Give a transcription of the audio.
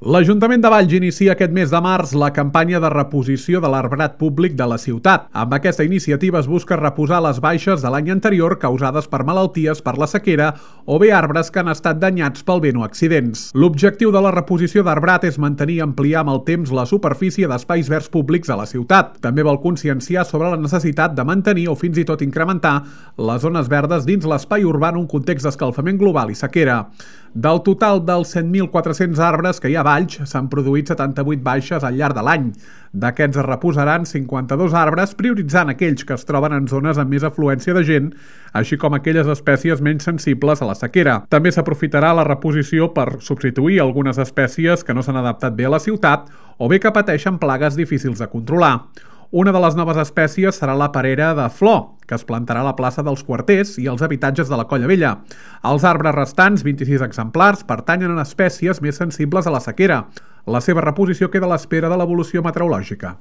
L'Ajuntament de Valls inicia aquest mes de març la campanya de reposició de l'arbrat públic de la ciutat. Amb aquesta iniciativa es busca reposar les baixes de l'any anterior causades per malalties, per la sequera o bé arbres que han estat danyats pel vent o accidents. L'objectiu de la reposició d'arbrat és mantenir i ampliar amb el temps la superfície d'espais verds públics a la ciutat. També vol conscienciar sobre la necessitat de mantenir o fins i tot incrementar les zones verdes dins l'espai urbà en un context d'escalfament global i sequera. Del total dels 100.400 arbres que hi ha a Valls, s'han produït 78 baixes al llarg de l'any. D'aquests es reposaran 52 arbres, prioritzant aquells que es troben en zones amb més afluència de gent, així com aquelles espècies menys sensibles a la sequera. També s'aprofitarà la reposició per substituir algunes espècies que no s'han adaptat bé a la ciutat o bé que pateixen plagues difícils de controlar. Una de les noves espècies serà la perera de flor, que es plantarà a la plaça dels Quarters i als habitatges de la Colla Vella. Els arbres restants, 26 exemplars, pertanyen a espècies més sensibles a la sequera. La seva reposició queda a l'espera de l'evolució meteorològica.